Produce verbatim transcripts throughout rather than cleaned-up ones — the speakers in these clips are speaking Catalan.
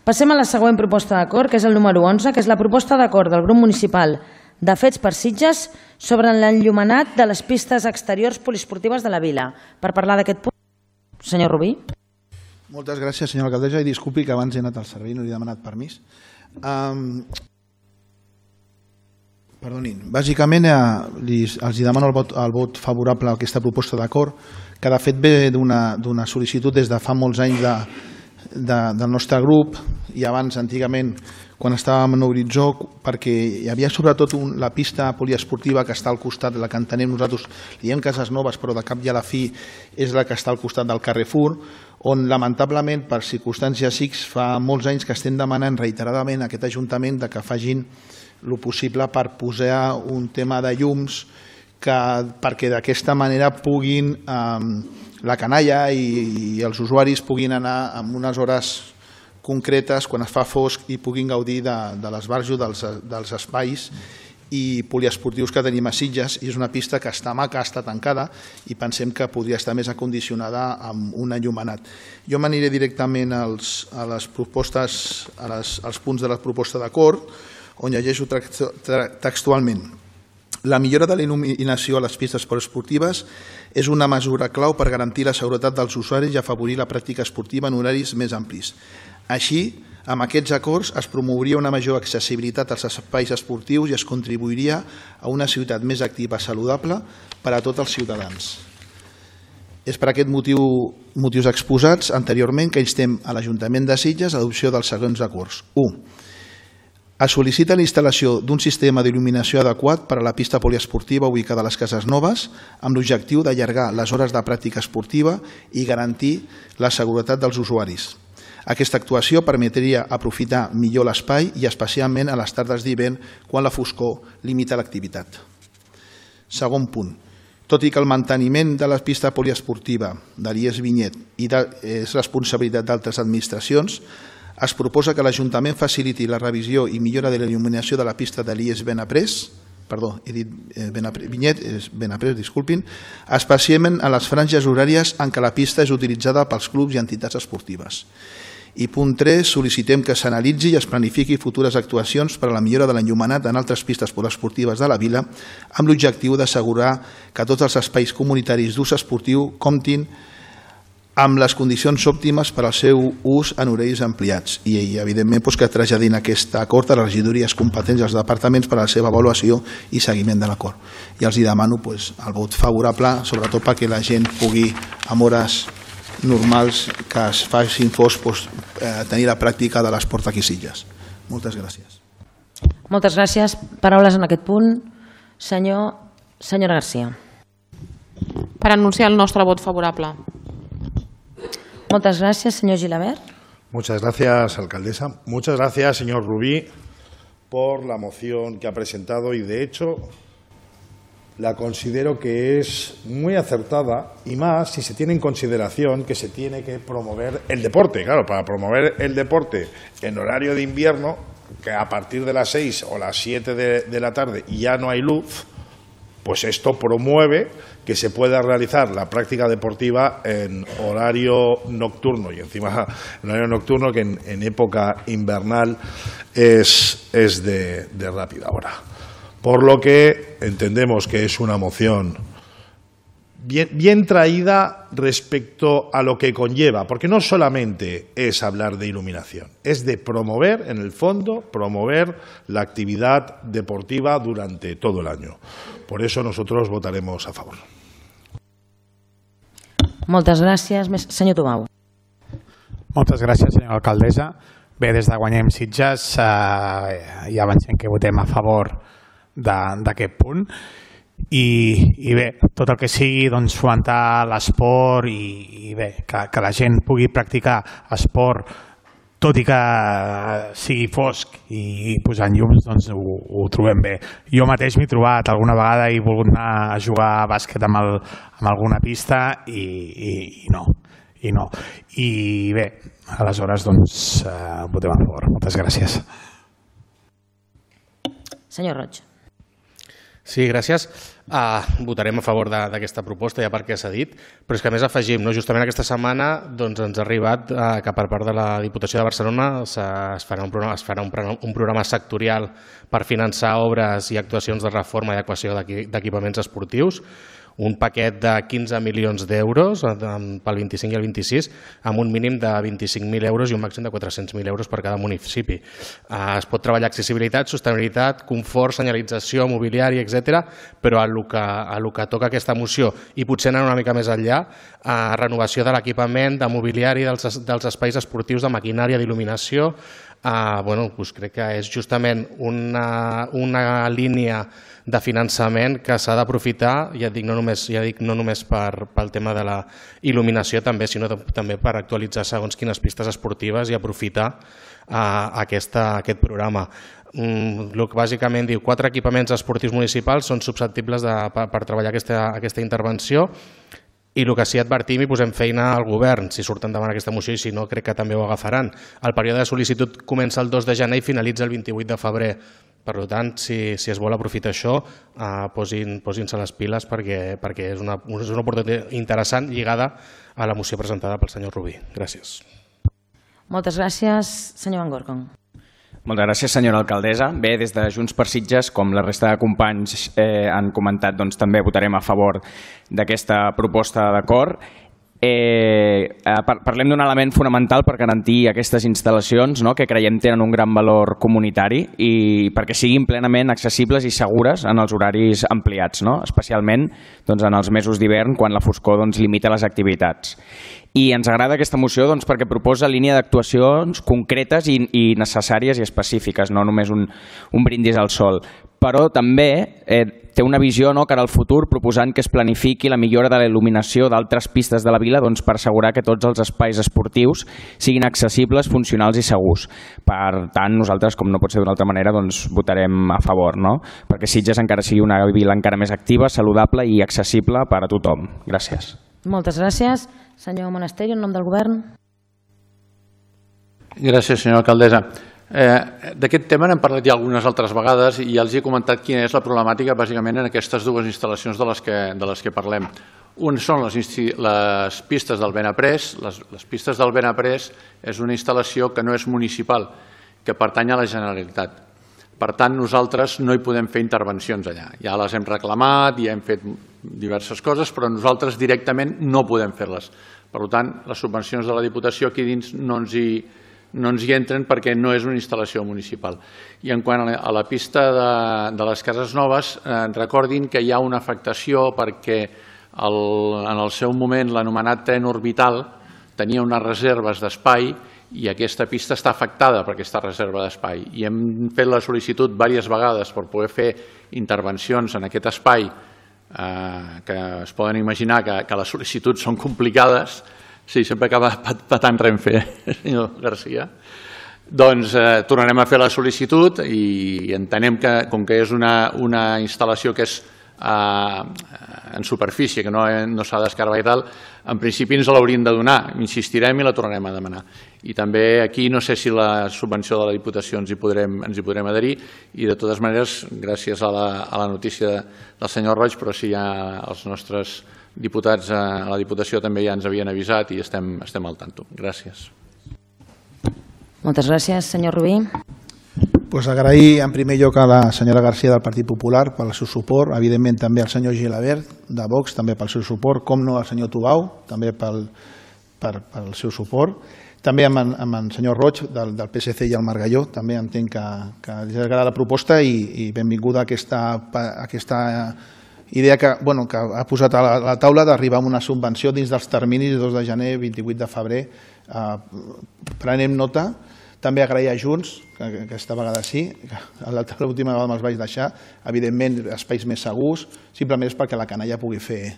Passem a la següent proposta d'acord, que és el número onze, que és la proposta d'acord del grup municipal de Fets per Sitges sobre l'enllumenat de les pistes exteriors poliesportives de la vila. Per parlar d'aquest punt, senyor Rubí. Moltes gràcies, senyora alcaldessa, i disculpi que abans he anat al servei, no li he demanat permís. Um, perdonin, bàsicament eh, li, els demano el vot, el vot favorable a aquesta proposta d'acord, que de fet ve d'una sol·licitud des de fa molts anys de, de, del nostre grup, i abans, antigament, quan estàvem en Horitzó, perquè hi havia sobretot un, la pista poliesportiva que està al costat, la que entenem nosaltres, li diem Cases Noves, però de cap i a la fi és la que està al costat del Carrefour, on lamentablement per circumstàncies X fa molts anys que estem demanant reiteradament a aquest Ajuntament que facin el possible per posar un tema de llums que, perquè d'aquesta manera puguin eh, la canalla i, i els usuaris puguin anar en unes hores concretes quan es fa fosc i puguin gaudir de, de l'esbarjo dels, dels espais i poliesportius que tenim a Sitges, i és una pista que està maca, està tancada, i pensem que podria estar més acondicionada amb un enllumenat. Jo m'aniré directament als, a les propostes, a les, als punts de la proposta d'acord, on llegeixo textualment. La millora de la il·luminació a les pistes poliesportives és una mesura clau per garantir la seguretat dels usuaris i afavorir la pràctica esportiva en horaris més amplis. Així, amb aquests acords es promouria una major accessibilitat als espais esportius i es contribuiria a una ciutat més activa i saludable per a tots els ciutadans. És per aquest motiu, motius exposats anteriorment que instem a l'Ajuntament de Sitges a l'adopció dels següents acords. u. Es sol·licita la instal·lació d'un sistema d'il·luminació adequat per a la pista poliesportiva ubicada a les Cases Noves amb l'objectiu d'allargar les hores de pràctica esportiva i garantir la seguretat dels usuaris. Aquesta actuació permetria aprofitar millor l'espai i especialment a les tardes d'hivern quan la foscor limita l'activitat. Segon punt. Tot i que el manteniment de la pista poliesportiva de l'I E S Vinyet és responsabilitat d'altres administracions, es proposa que l'Ajuntament faciliti la revisió i millora de la il·luminació de la pista de l'I E S Benaprés, perdó, he dit Vinyet, és Benaprés, disculpin, especialment a les franges horàries en què la pista és utilitzada pels clubs i entitats esportives. I punt tres, sol·licitem que s'analitzi i es planifiqui futures actuacions per a la millora de l'enllumenat en altres pistes poliesportives de la vila amb l'objectiu d'assegurar que tots els espais comunitaris d'ús esportiu comptin amb les condicions òptimes per al seu ús en horaris ampliats i, evidentment, que traslladin aquest acord a les regidories competents dels departaments per a la seva avaluació i seguiment de l'acord. I els demano el vot favorable, sobretot perquè la gent pugui, amb hores normals que es facin fos, tenir la pràctica de l'esport aquí a Sitges. Moltes gràcies. Moltes gràcies. Paraules en aquest punt. Senyor, senyora García. Per anunciar el nostre vot favorable. Muchas gracias, señor Gilabert. Muchas gracias, alcaldesa. Muchas gracias, señor Rubí, por la moción que ha presentado y, de hecho, la considero que es muy acertada y más si se tiene en consideración que se tiene que promover el deporte. Claro, para promover el deporte en horario de invierno, que a partir de las seis o las siete de, de la tarde ya no hay luz, pues esto promueve que se pueda realizar la práctica deportiva en horario nocturno y encima en horario nocturno que en, en época invernal es, es de, de rápida hora. Por lo que entendemos que es una moción bien, bien traída respecto a lo que conlleva, porque no solamente es hablar de iluminación, es de promover, en el fondo, promover la actividad deportiva durante todo el año. Por eso nosotros votaremos a favor. Moltes gràcies. Senyor Tomau. Moltes gràcies, senyora alcaldessa. Bé, des de Guanyem Sitges eh, ja avancem que votem a favor d'aquest punt. I, i bé, tot el que sigui doncs, fomentar l'esport i, i bé, que, que la gent pugui practicar esport tot i que sigui fosc i posant llums, doncs ho, ho trobem bé. Jo mateix m'he trobat alguna vegada i he volgut anar a jugar a bàsquet amb, el, amb alguna pista i, i, i no. I no. I bé, aleshores doncs eh, votem a favor. Moltes gràcies. Senyor Roig. Sí, gràcies. Uh, votarem a favor d'aquesta proposta, ja perquè s'ha dit, però és que a més afegim, no? Justament aquesta setmana doncs, ens ha arribat uh, que per part de la Diputació de Barcelona es farà, un programa, es farà un, un programa sectorial per finançar obres i actuacions de reforma i adequació d'equipaments esportius, un paquet de quinze milions d'euros pel vint-i-cinc i el vint-i-sis, amb un mínim de vint-i-cinc mil euros i un màxim de quatre-cents mil euros per cada municipi. Es pot treballar accessibilitat, sostenibilitat, confort, senyalització, mobiliari, etcètera, però a lo que, a lo que toca aquesta moció, i potser anar una mica més enllà, a renovació de l'equipament, de mobiliari, dels, dels espais esportius, de maquinària, d'il·luminació, Uh, bueno, doncs crec que és justament una, una línia de finançament que s'ha d'aprofitar, ja dic, no només, ja dic, no només per, pel tema de la il·luminació també, sinó de, també per actualitzar segons quines pistes esportives i aprofitar uh, aquesta, aquest programa. Mm, el que bàsicament diu, quatre equipaments esportius municipals són susceptibles de, per, per treballar aquesta, aquesta intervenció. I el que sí advertim i posem feina al govern, si surten davant aquesta moció, i si no, crec que també ho agafaran. El període de sol·licitud comença el dos de gener i finalitza el vint-i-vuit de febrer. Per tant, si, si es vol aprofitar això, eh, posin, posin-se les piles perquè, perquè és, una, és una oportunitat interessant lligada a la moció presentada pel senyor Rubí. Gràcies. Moltes gràcies, senyor Van Gorkom. Moltes gràcies, senyora alcaldessa. Bé, des de Junts per Sitges, com la resta de companys eh, han comentat, doncs també votarem a favor d'aquesta proposta d'acord. Eh, parlem d'un element fonamental per garantir aquestes instal·lacions, no?, que creiem tenen un gran valor comunitari i perquè siguin plenament accessibles i segures en els horaris ampliats, no?, especialment doncs, en els mesos d'hivern, quan la foscor doncs, limita les activitats. I ens agrada aquesta moció doncs, perquè proposa línia d'actuacions concretes i, i necessàries i específiques, no només un, un brindis al sol. Però també eh, té una visió, no?, cara al futur, proposant que es planifiqui la millora de la il·luminació d'altres pistes de la vila doncs, per assegurar que tots els espais esportius siguin accessibles, funcionals i segurs. Per tant, nosaltres, com no pot ser d'una altra manera, doncs, votarem a favor, no?, perquè Sitges encara sigui una vila encara més activa, saludable i accessible per a tothom. Gràcies. Moltes gràcies. Senyor Monasterio, en nom del govern. Gràcies, senyora alcaldessa. Eh, D'aquest tema n'hem parlat ja algunes altres vegades i ja els he comentat quina és la problemàtica bàsicament en aquestes dues instal·lacions de les que, de les que parlem. Un són les, les pistes del Benaprés. Les, les pistes del Benaprés és una instal·lació que no és municipal, que pertany a la Generalitat. Per tant, nosaltres no hi podem fer intervencions allà. Ja les hem reclamat, ja hem fet diverses coses, però nosaltres directament no podem fer-les. Per tant, les subvencions de la Diputació aquí dins no ens hi, no ens hi entren perquè no és una instal·lació municipal. I en quant a la pista de, de les Cases Noves, eh, recordin que hi ha una afectació perquè el, en el seu moment l'anomenat tren orbital tenia unes reserves d'espai i aquesta pista està afectada per aquesta reserva d'espai. I hem fet la sol·licitud diverses vegades per poder fer intervencions en aquest espai, eh, que es poden imaginar que, que les sol·licituds són complicades. Sí, sempre acaba patant Renfe, senyor Garcia. Doncs eh, tornarem a fer la sol·licitud i entenem que, com que és una, una instal·lació que és eh, en superfície, que no, no s'ha d'escarbar i tal, en principi ens l'haurien de donar, insistirem i la tornarem a demanar. I també aquí no sé si la subvenció de la Diputació ens hi podrem, ens hi podrem adherir i de totes maneres, gràcies a la, a la notícia del senyor Roig, però sí ja els nostres diputats a la Diputació també ja ens havien avisat i estem, estem al tanto. Gràcies. Moltes gràcies, senyor Rubí. Pues agrair en primer lloc a la senyora Garcia del Partit Popular pel seu suport, evidentment també al senyor Gilabert de Vox també pel seu suport, com no al senyor Tubau també pel, per, pel seu suport, també amb en, amb en senyor Roig del, del P S C i el Margalló, també entenc que, que li agrada la proposta i, i benvinguda a aquesta, a aquesta idea que, bueno, que ha posat a la, a la taula d'arribar a una subvenció dins dels terminis de dos de gener, vint-i-vuit de febrer. Eh, prenem nota. També agrair a Junts, que aquesta vegada sí, l'última vegada me'ls vaig deixar, evidentment espais més segurs, simplement és perquè la canalla pugui fer,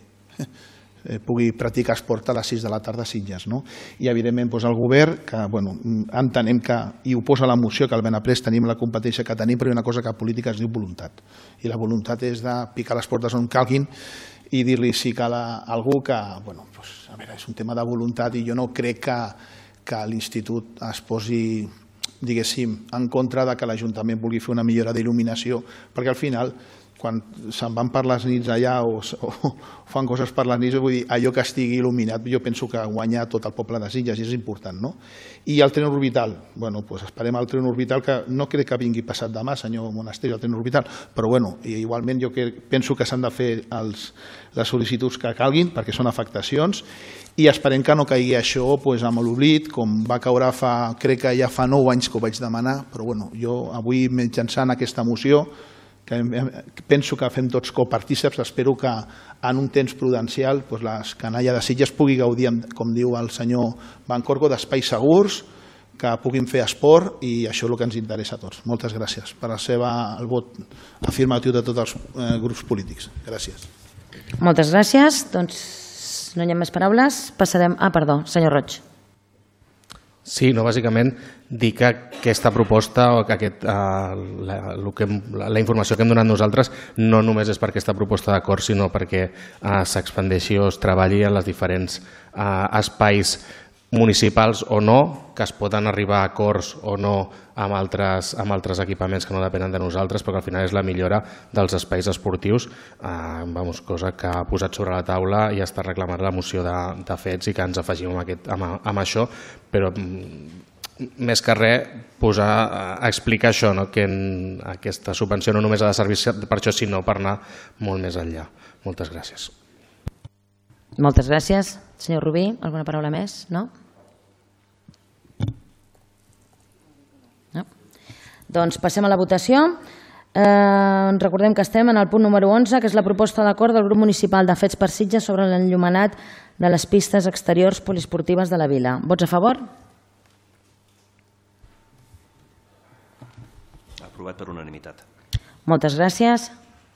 pugui practicar esport a les sis de la tarda a Sitges. No? I evidentment doncs, el govern, que bueno, entenem que, i ho posa la moció, que al Benaprés tenim la competència que tenim, però hi ha una cosa que a política es diu voluntat. I la voluntat és de picar les portes on calguin i dir-li si cal a algú que, bueno, doncs, a veure, és un tema de voluntat i jo no crec que que l'institut es posi, diguéssim, en contra de que l'Ajuntament vulgui fer una millora d'il·luminació, perquè al final quan se'n van per les nits allà o, o fan coses per les nits, vull dir, allò que estigui il·luminat, jo penso que guanya tot el poble de Sitges i és important, no? I el tren orbital, bueno, doncs esperem el tren orbital, que no crec que vingui passat demà, senyor Monasterio, el tren orbital, però bueno, igualment jo penso que s'han de fer els, les sol·licituds que calguin, perquè són afectacions, i esperem que no caigui això doncs, amb l'oblit, com va caure fa, crec que ja fa nou anys que ho vaig demanar, però bueno, jo avui mitjançant aquesta moció, que penso que fem tots copartíceps, espero que en un temps prudencial doncs la canalla de Sitges pugui gaudir, com diu el senyor Bancorco, d'espais segurs, que puguin fer esport i això és el que ens interessa a tots. Moltes gràcies per el, seva, el vot afirmatiu de tots els eh, grups polítics. Gràcies. Moltes gràcies. Doncs no hi ha més paraules. Passarem... Ah, perdó, senyor Roig. Sí, no, bàsicament dir que aquesta proposta o que aquest, uh, la, que hem, la informació que hem donat nosaltres no només és per aquesta proposta d'acord, sinó perquè uh, s'expandeixi o es treballi en els diferents uh, espais municipals o no, que es poden arribar a acords o no amb altres, amb altres equipaments que no depenen de nosaltres, però que al final és la millora dels espais esportius, eh, vamos, cosa que ha posat sobre la taula i està reclamant la moció de, de fets i que ens afegim amb, aquest, amb, amb això, però més que res posar, a explicar això, no? Que en aquesta subvenció no només ha de servir per això, sinó per anar molt més enllà. Moltes gràcies. Moltes gràcies. Senyor Rubí, alguna paraula més? No? No? Doncs passem a la votació. Eh, recordem que estem en el punt número onze, que és la proposta d'acord del grup municipal de Fets per Sitges sobre l'enllumenat de les pistes exteriors poliesportives de la vila. Vots a favor? Aprovat per unanimitat. Moltes gràcies.